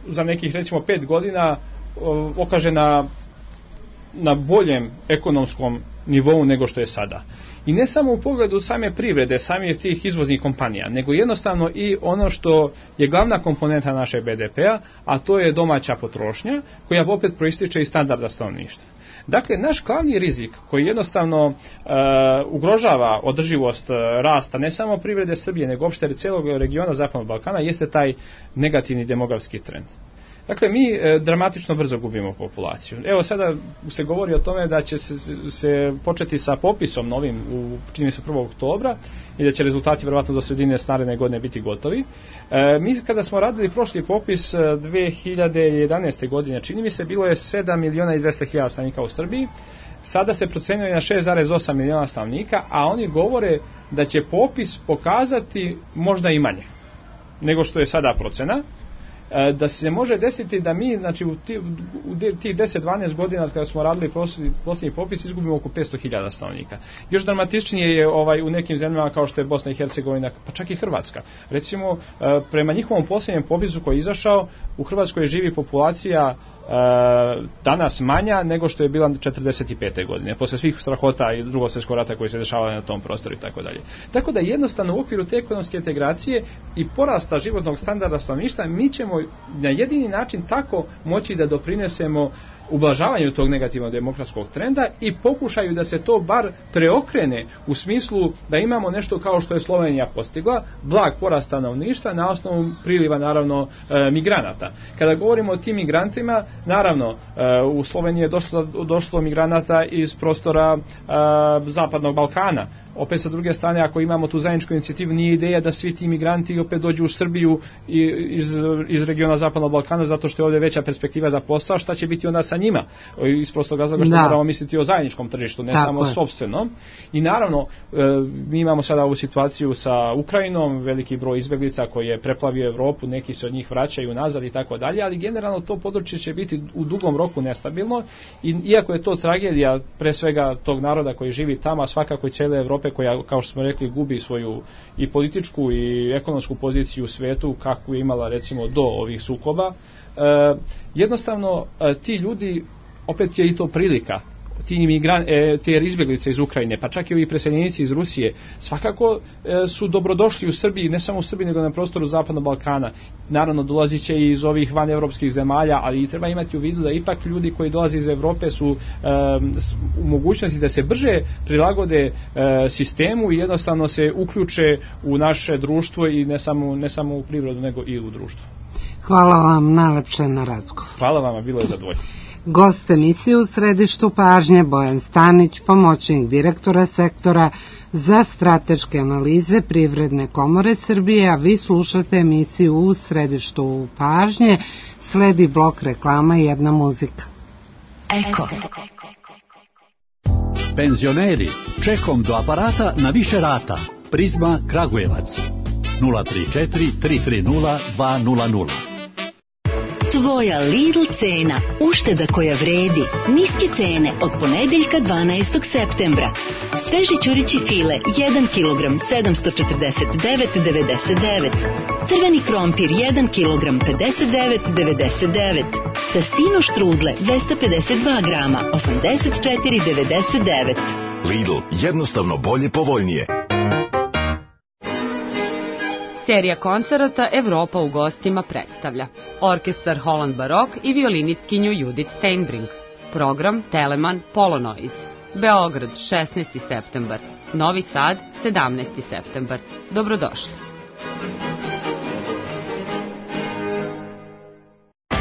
za nekih, recimo, 5 godina okaže na boljem ekonomskom nivou nego što je sada. I ne samo u pogledu same privrede, samih tih izvoznih kompanija, nego jednostavno i ono što je glavna komponenta naše BDP-a, a to je domaća potrošnja, koja opet proističe iz standarda stanovništva. Dakle, naš glavni rizik koji jednostavno ugrožava održivost rasta ne samo privrede Srbije, nego opšte celog regiona Zapadnog Balkana, jeste taj negativni demografski trend. Dakle, mi dramatično brzo gubimo populaciju. Evo, sada se govori o tome da će se početi sa popisom novim, čini mi se 1. oktobra, i da će rezultati verovatno do sredine naredne godine biti gotovi. Mi kada smo radili prošli popis 2011. godine, čini mi se, bilo je 7.200.000 stanovnika u Srbiji. Sada se procenjuje na 6,8 miliona stanovnika, a oni govore da će popis pokazati možda i manje nego što je sada procena. Da se može desiti da mi, znači, u tih 10-12 godina kada smo radili posljednji popis, izgubimo oko 500.000 stanovnika. Još dramatičnije je u nekim zemljama kao što je Bosna i Hercegovina, pa čak i Hrvatska. Recimo, prema njihovom posljednjem popisu koji je izašao, u Hrvatskoj živi populacija danas manja nego što je bila 45. godine, posle svih strahota i Drugog svjetskog rata koji se dešavali na tom prostoru i tako dalje. Tako da jednostavno u okviru te ekonomske integracije i porasta životnog standarda stanovništva mi ćemo na jedini način tako moći da doprinesemo ublažavanju tog negativnog demokratskog trenda i pokušaju da se to bar preokrene u smislu da imamo nešto kao što je Slovenija postigla, blag porast stanovništva na osnovu priliva, naravno, migranata. Kada govorimo o tim migrantima, naravno, u Sloveniji je došlo migranata iz prostora Zapadnog Balkana. Opet sa druge strane, ako imamo tu zajedničku inicijativu, nije ideja da svi ti migranti opet dođu u Srbiju iz regiona Zapadnog Balkana, zato što je ovdje veća perspektiva za posao. Šta će biti onda sa njima? Iz prostog razloga što moramo misliti o zajedničkom tržištu, ne samo sopstvenom. I naravno, mi imamo sada ovu situaciju sa Ukrajinom, veliki broj izbjeglica koji je preplavio Evropu, neki se od njih vraćaju nazad i tako dalje, ali generalno to područje će biti u dugom roku nestabilno, i iako je to tragedija pre svega tog naroda koji živi tamo, a svakako i cijele Evrope Evrope koja, kao što smo rekli, gubi svoju i političku i ekonomsku poziciju u svetu kakvu je imala recimo do ovih sukoba. Jednostavno ti ljudi, opet je i to prilika, te izbjeglice iz Ukrajine, pa čak i ovi preseljenici iz Rusije, svakako su dobrodošli u Srbiji, ne samo u Srbiji, nego na prostoru Zapadnog Balkana. Naravno, dolazit će i iz ovih vanevropskih zemalja, ali treba imati u vidu da ipak ljudi koji dolaze iz Evrope su u mogućnosti da se brže prilagode sistemu i jednostavno se uključe u naše društvo i ne samo u privredu, nego i u društvo. Hvala vam najlepše na razgovor. Hvala vama, bilo je zadovoljstvo. Gost emisije u središtu pažnje Bojan Stanić, pomoćnik direktora sektora za strateške analize Privredne komore Srbije, a vi slušate emisiju u središtu pažnje. Sledi blok reklama i jedna muzika. Eko. Penzioneri, čekom do aparata na više rata. Prizma Kragujevac 034 330 200. Tvoja Lidl cena, ušteda koja vredi, niske cene od ponedeljka 12. septembra. Sveži ćurići file 1 kg 749,99. Crveni krompir 1 kg 59,99. Tastino štrudle 252 grama 84,99. Lidl, jednostavno bolje, povoljnije. Serija koncerata Evropa u gostima predstavlja orkestar Holland Barok i violinistkinju Judith Steinbrink. Program Telemann Polonoise. Beograd 16. septembar. Novi Sad 17. septembar. Dobrodošli.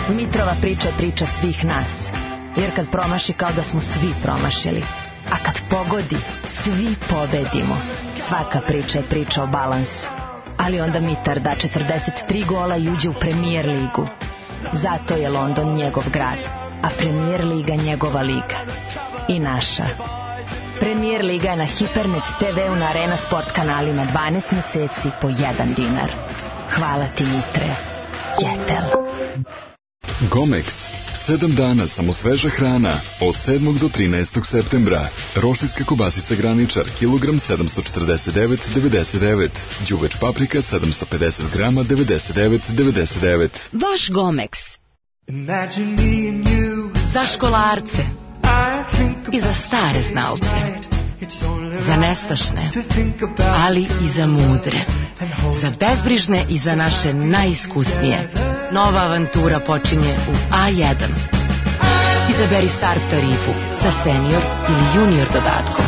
Mitrova priča je priča svih nas. Jer kad promaši kao da smo svi promašili. A kad pogodi, svi pobedimo. Svaka priča je priča o balansu. Ali onda Mitar da 43 gola i uđe u Premier ligu. Zato je London njegov grad, a Premier liga njegova liga. I naša. Premier liga je na Hipernet TV-u na Arena Sport kanalima 12 meseci po 1 dinar. Hvala ti, Mitre. Jetel. Gomex. 7 dana samo sveža hrana. Od 7. do 13. septembra. Roštiljska kobasica Graničar, kilogram 749,99. Đuveč paprika 750 grama 99,99. Vaš Gomex. Za školarce. I za stare znalce. Za nestašne, ali i za mudre. Za bezbrižne i za naše najiskusnije. Nova avantura počinje u A1. Izaberi start tarifu sa senior ili junior dodatkom.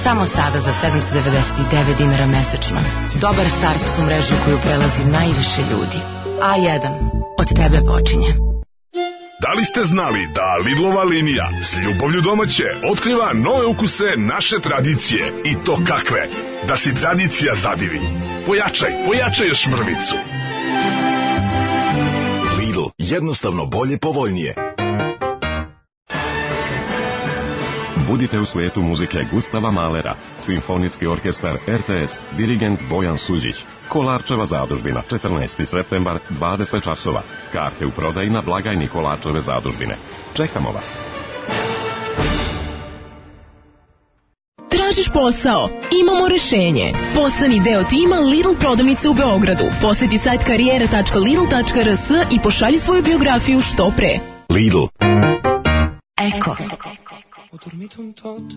Samo sada za 799 dinara mesečno. Dobar start u mrežu koju prelazi najviše ljudi. A1. Od tebe počinje. Da li ste znali da Lidlova linija s ljubavlju domaće otkriva nove ukuse naše tradicije? I to kakve? Da si tradicija zadivi. Pojačaj još mrvicu. Lidl, jednostavno bolje, povoljnije. Budite u svijetu muzike Gustava Mahlera, Simfonijski orkestar RTS, dirigent Bojan Suđić. Kolarčeva zadužbina, 14. septembar, 20 časova. Karte u prodaji na blagajni Kolarčeve zadužbine. Čekamo vas. Tražiš posao? Imamo rešenje. Postani deo tima Lidl prodavnice u Beogradu. Posjeti sajt karijera.lidl.rs i pošalji svoju biografiju što pre. Lidl. Eko. Ho dormito un tot,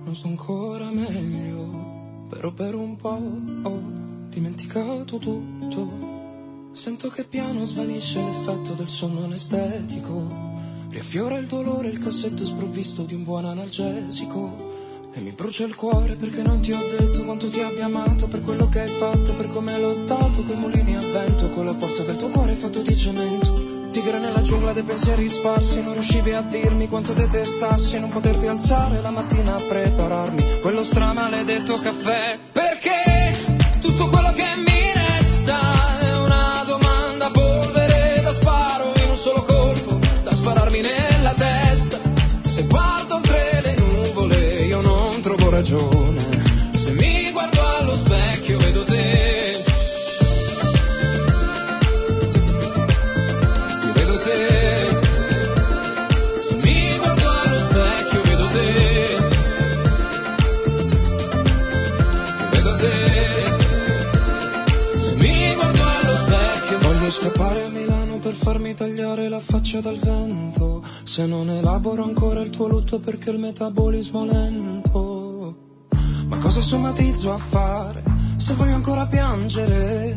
non sto ancora meglio, però per un po' ho dimenticato tutto. Sento che piano svanisce l'effetto del sonno anestetico, riaffiora il dolore il cassetto sprovvisto di un buon analgesico. E mi brucia il cuore perché non ti ho detto quanto ti abbia amato, per quello che hai fatto, per come hai lottato coi mulini a vento, con la forza del tuo cuore fatto di cemento. Tigre nella giungla dei pensieri sparsi, non riuscivi a dirmi quanto detestassi non poterti alzare la mattina a prepararmi quello stramaledetto caffè. Perché tutto quello che mi resta è una domanda a polvere da sparo in un solo colpo, da spararmi nella testa. Se guardo oltre le nuvole io non trovo ragione, se mi guardo allo specchio vedo te. scappare a Milano per farmi tagliare la faccia dal vento, se non elaboro ancora il tuo lutto perché il metabolismo è lento. Ma cosa somatizzo a fare se voglio ancora piangere,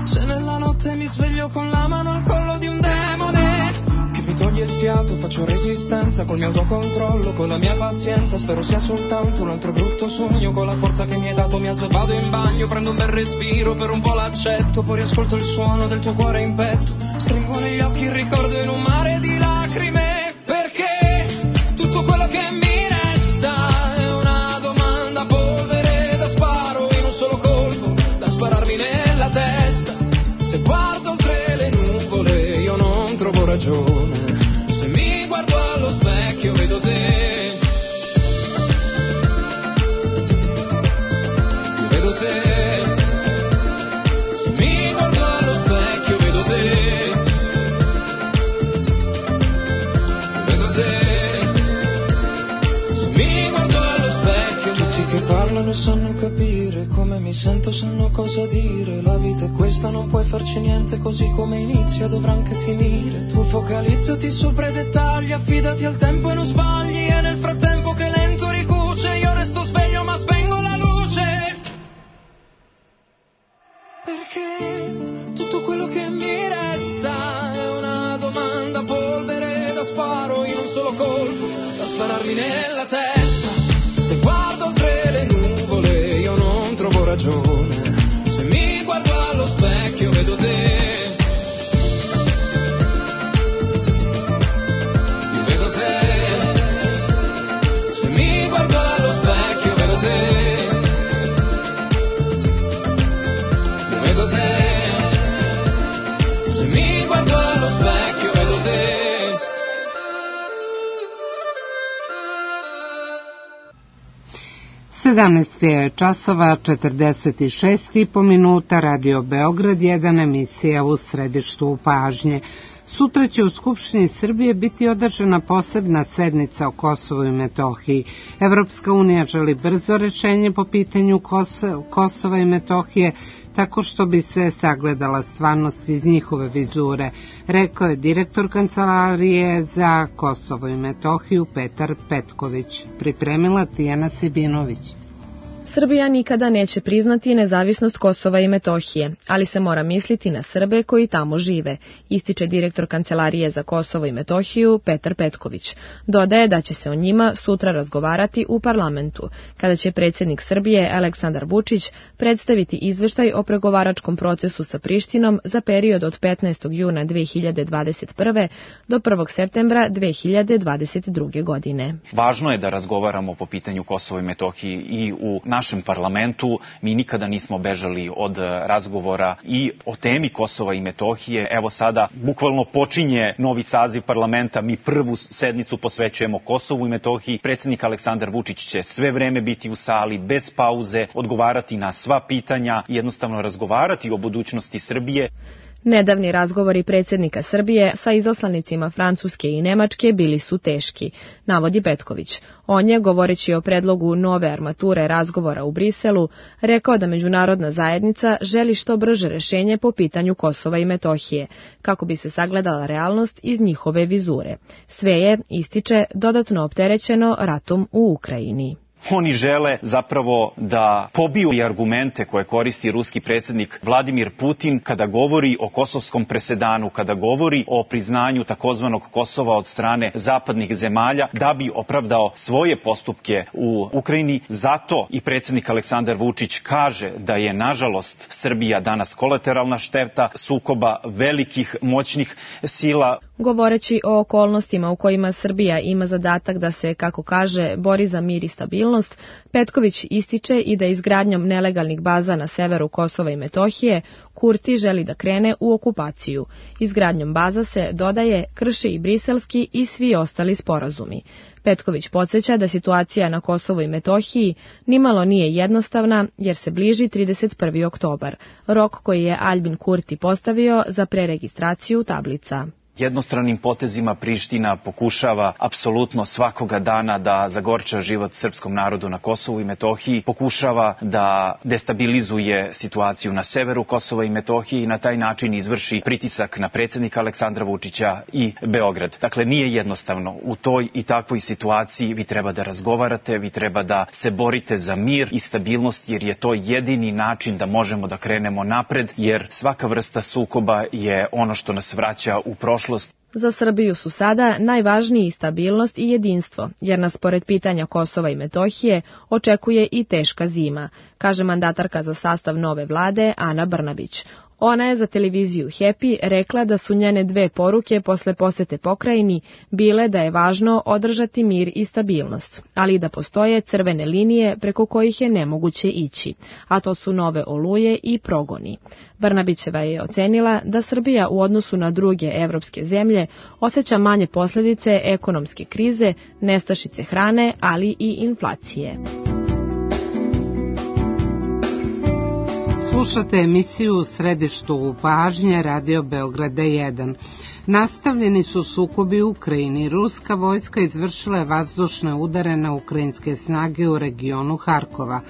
se nella notte mi sveglio con la mano al collo di un demone che mi toglie il fiato, faccio resistenza col mio autocontrollo, con la mia pazienza, spero sia soltanto un altro brutto sogno, con la forza che mi hai dato mi alzo e vado in bagno, prendo un bel respiro, per un po' l'accetto, poi riascolto il suono del tuo cuore in petto, stringo negli occhi il ricordo in un mare di lacrime, perché tutto quello che mi resta è una domanda a polvere da sparo in un solo colpo, da spararmi nella testa, se guardo oltre le nuvole io non trovo ragione, se mi guardo allo specchio vedo te, io vedo te, se mi guardo allo specchio vedo te, io vedo te, se mi guardo allo specchio. Tutti che parlano sanno capire come mi sento, sanno cosa dire, la vita è questa, non puoi farci niente, così come inizia dovrà anche finire, tu focalizzati sopra i dettagli, affidati al tempo e non sbagli, e nel frattempo che lento ricuce io resto sveglio ma spengo la luce, perché tutto quello che mi resta è una domanda a polvere da sparo in un solo colpo, da spararmi nella testa, se guardo oltre le nuvole io non trovo ragione, se mi guardo allo specchio vedo te, io vedo te, se mi guardo allo specchio vedo te, io vedo te, se mi guardo allo specchio vedo te. 17 časova 46,5 minuta, Radio Beograd 1, emisija u središtu pažnje. Sutra će u Skupštini Srbije biti održana posebna sednica o Kosovu i Metohiji. Evropska unija želi brzo rešenje po pitanju Kosova i Metohije, tako što bi se sagledala stvarnost iz njihove vizure, rekao je direktor Kancelarije za Kosovo i Metohiju Petar Petković. Pripremila Tijana Sibinović. Srbija nikada neće priznati nezavisnost Kosova i Metohije, ali se mora misliti na Srbe koji tamo žive, ističe direktor Kancelarije za Kosovo i Metohiju Petar Petković. Dodaje da će se o njima sutra razgovarati u parlamentu, kada će predsjednik Srbije Aleksandar Vučić predstaviti izveštaj o pregovaračkom procesu sa Prištinom za period od 15. juna 2021. do 1. septembra 2022. godine. Važno je da razgovaramo po pitanju Kosova i Metohije i u našem parlamentu. Mi nikada nismo bežali od razgovora i o temi Kosova i Metohije. Evo sada bukvalno počinje novi saziv parlamenta. Mi prvu sednicu posvećujemo Kosovu i Metohiji. Predsjednik Aleksandar Vučić će sve vreme biti u sali, bez pauze, odgovarati na sva pitanja i jednostavno razgovarati o budućnosti Srbije. Nedavni razgovori predsjednika Srbije sa izaslanicima Francuske i Nemačke bili su teški, navodi Petković. On je, govoreći o predlogu nove armature razgovora u Briselu, rekao da međunarodna zajednica želi što brže rešenje po pitanju Kosova i Metohije, kako bi se sagledala realnost iz njihove vizure. Sve je, ističe, dodatno opterećeno ratom u Ukrajini. Oni žele zapravo da pobiju i argumente koje koristi ruski predsjednik Vladimir Putin kada govori o kosovskom presedanu, kada govori o priznanju takozvanog Kosova od strane zapadnih zemalja, da bi opravdao svoje postupke u Ukrajini. Zato i predsjednik Aleksandar Vučić kaže da je, nažalost, Srbija danas kolateralna šteta sukoba velikih, moćnih sila. Govoreći o okolnostima u kojima Srbija ima zadatak da se, kako kaže, bori za mir i stabilnost, Petković ističe i da izgradnjom nelegalnih baza na severu Kosova i Metohije Kurti želi da krene u okupaciju. Izgradnjom baza se, dodaje, krši i briselski i svi ostali sporazumi. Petković podsjeća da situacija na Kosovu i Metohiji nimalo nije jednostavna jer se bliži 31. oktobar, rok koji je Albin Kurti postavio za preregistraciju tablica. Jednostranim potezima Priština pokušava apsolutno svakoga dana da zagorča život srpskom narodu na Kosovu i Metohiji, pokušava da destabilizuje situaciju na severu Kosova i Metohije i na taj način izvrši pritisak na predsjednika Aleksandra Vučića i Beograd. Dakle, nije jednostavno. U toj i takvoj situaciji vi treba da razgovarate, vi treba da se borite za mir i stabilnost, jer je to jedini način da možemo da krenemo napred, jer svaka vrsta sukoba je ono što nas vraća u prošlost. Za Srbiju su sada najvažniji stabilnost i jedinstvo, jer nas pored pitanja Kosova i Metohije očekuje i teška zima, kaže mandatarka za sastav nove vlade Ana Brnabić. Ona je za televiziju Happy rekla da su njene dve poruke posle posete pokrajini bile da je važno održati mir i stabilnost, ali da postoje crvene linije preko kojih je nemoguće ići, a to su nove oluje i progoni. Brnabićeva je ocenila da Srbija u odnosu na druge evropske zemlje osjeća manje posljedice ekonomske krize, nestašice hrane, ali i inflacije. Slušate emisiju u središtu pažnje Radio Beograda 1. Nastavljeni su sukobi u Ukrajini. Ruska vojska izvršila je vazdušne udare na ukrajinske snage u regionu Harkova.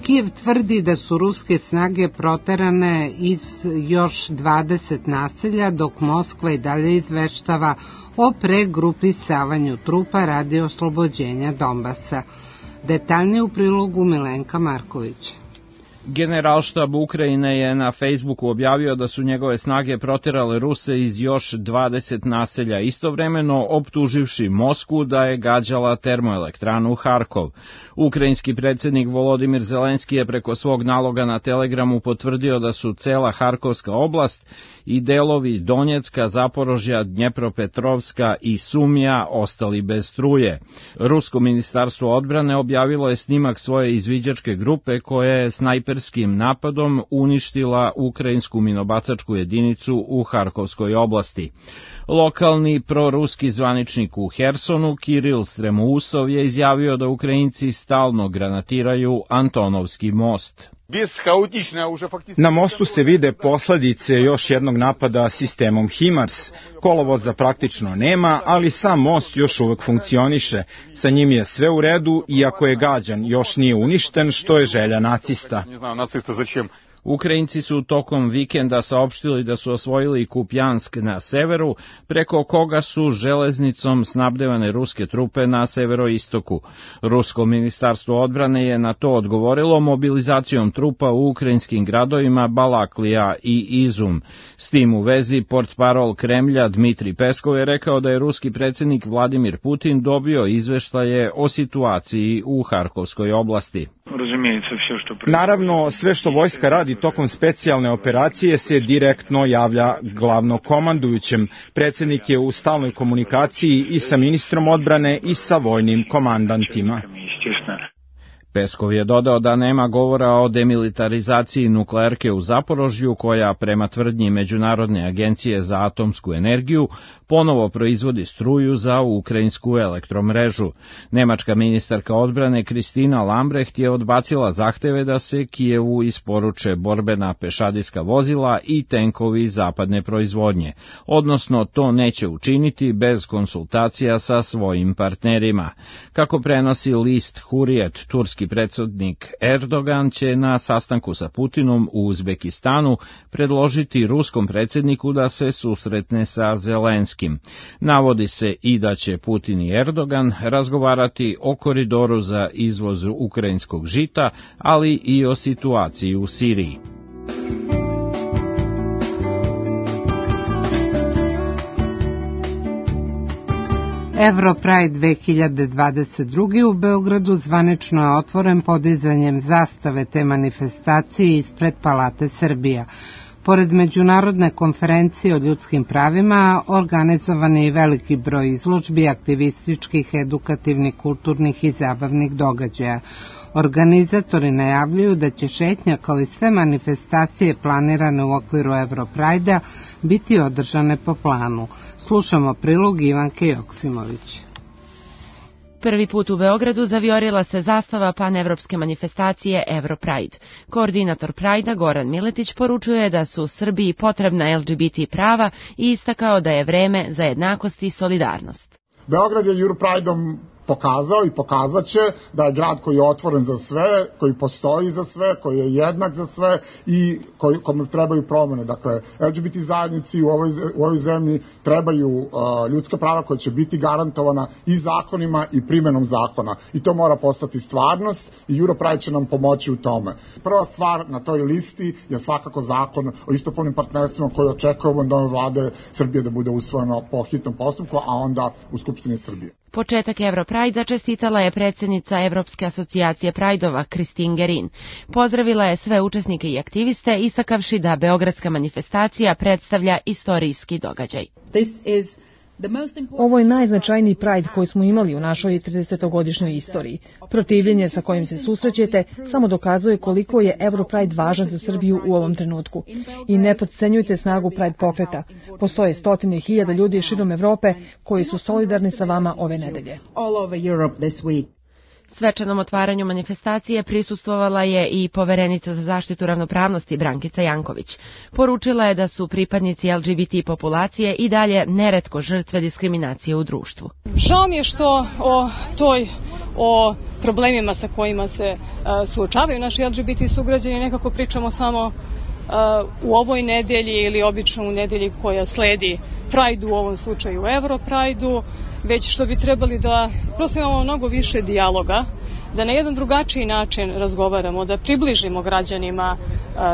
Kijev tvrdi da su ruske snage proterane iz još 20 naselja, dok Moskva i dalje izveštava o pregrupisavanju trupa radi oslobođenja Donbasa. Detaljnije u prilogu Milenka Markovića. Generalštab Ukrajine je na Facebooku objavio da su njegove snage proterale Ruse iz još 20 naselja, istovremeno optuživši Moskvu da je gađala termoelektranu Harkov. Ukrajinski predsjednik Volodimir Zelenski je preko svog naloga na Telegramu potvrdio da su cela Harkovska oblast i delovi Donjecka, Zaporožja, Dnjepropetrovska i Sumija ostali bez struje. Rusko ministarstvo odbrane objavilo je snimak svoje izviđačke grupe koja je snajperskim napadom uništila ukrajinsku minobacačku jedinicu u Harkovskoj oblasti. Lokalni proruski zvaničnik u Hersonu, Kiril Stremousov, je izjavio da Ukrajinci stalno granatiraju Antonovski most. Na mostu se vide posljedice još jednog napada sistemom HIMARS. Kolovoza praktično nema, ali sam most još uvek funkcioniše. Sa njim je sve u redu, iako je gađan, još nije uništen, što je želja nacista. Ukrajinci su tokom vikenda saopštili da su osvojili Kupjansk na severu, preko koga su železnicom snabdevane ruske trupe na severoistoku. Rusko ministarstvo odbrane je na to odgovorilo mobilizacijom trupa u ukrajinskim gradovima Balaklija i Izum. S tim u vezi portparol Kremlja Dmitri Peskov je rekao da je ruski predsjednik Vladimir Putin dobio izveštaje o situaciji u Harkovskoj oblasti. Naravno, sve što vojska radi tokom specijalne operacije se direktno javlja glavnokomandujućem. Predsjednik je u stalnoj komunikaciji i sa ministrom odbrane i sa vojnim komandantima. Peskov je dodao da nema govora o demilitarizaciji nuklearke u Zaporožju, koja prema tvrdnji Međunarodne agencije za atomsku energiju ponovo proizvodi struju za ukrajinsku elektromrežu. Nemačka ministarka odbrane Kristina Lambrecht je odbacila zahteve da se Kijevu isporuče borbena pešadijska vozila i tenkovi zapadne proizvodnje, odnosno to neće učiniti bez konsultacija sa svojim partnerima. Kako prenosi list Hurriyet, turski predsjednik Erdogan će na sastanku sa Putinom u Uzbekistanu predložiti ruskom predsjedniku da se susretne sa Zelenskim. Navodi se i da će Putin i Erdogan razgovarati o koridoru za izvoz ukrajinskog žita, ali i o situaciji u Siriji. Europride 2022 u Beogradu zvanično je otvoren podizanjem zastave te manifestacije ispred Palate Srbija. Pored međunarodne konferencije o ljudskim pravima, organizovan je i veliki broj izložbi, aktivističkih, edukativnih, kulturnih i zabavnih događaja. Organizatori najavljuju da će šetnja kao i sve manifestacije planirane u okviru Europride-a biti održane po planu. Slušamo prilog Ivanke Joksimović. Prvi put u Beogradu zavijorila se zastava panevropske manifestacije Europride. Koordinator Prajda Goran Miletić poručuje da su Srbiji potrebna LGBT prava i istakao da je vreme za jednakost i solidarnost. Beograd je Europrideom pokazao i pokazaće da je grad koji je otvoren za sve, koji postoji za sve, koji je jednak za sve i kome trebaju promene. Dakle, LGBT zajednici u ovoj zemlji trebaju ljudska prava koja će biti garantovana i zakonima i primenom zakona. I to mora postati stvarnost i Europride će nam pomoći u tome. Prva stvar na toj listi je svakako zakon o istopolnim partnerstvima koji očekujemo od nove vlade Srbije da bude usvojeno po hitnom postupku, a onda u Skupštini Srbije. Početak Europride čestitala je predsjednica Evropske asocijacije Prajdova Kristin Gerin. Pozdravila je sve učesnike i aktiviste, istakavši da beogradska manifestacija predstavlja istorijski događaj. Ovo je najznačajniji Pride koji smo imali u našoj 30-godišnjoj istoriji. Protivljenje sa kojim se susrećete samo dokazuje koliko je Europride važan za Srbiju u ovom trenutku. I ne potcenjujte snagu Pride pokreta. Postoje stotine hiljada ljudi širom Evrope koji su solidarni sa vama ove nedelje. Svečanom otvaranju manifestacije prisustvovala je i poverenica za zaštitu ravnopravnosti Brankica Janković. Poručila je da su pripadnici LGBT populacije i dalje neretko žrtve diskriminacije u društvu. Žao mi je što o problemima sa kojima se suočavaju naši LGBT sugrađani nekako pričamo samo u ovoj nedelji ili obično u nedelji koja sledi Pride-u, u ovom slučaju Europride-u, već što bi trebali da prosto imamo mnogo više dijaloga, da na jedan drugačiji način razgovaramo, da približimo građanima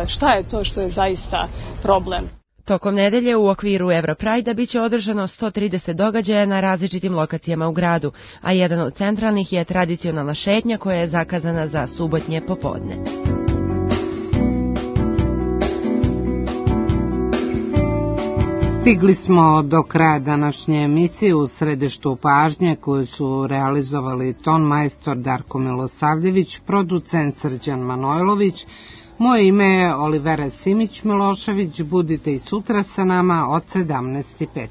šta je to što je zaista problem. Tokom nedelje u okviru Europride-a biće održano 130 događaja na različitim lokacijama u gradu, a jedan od centralnih je tradicionalna šetnja koja je zakazana za subotnje popodne. Stigli smo do kraja današnje emisije. U središtu pažnje koju su realizovali ton majstor Darko Milosavljević, producent Srđan Manojlović. Moje ime je Olivera Simić-Milošević. Budite i sutra sa nama od 17:05.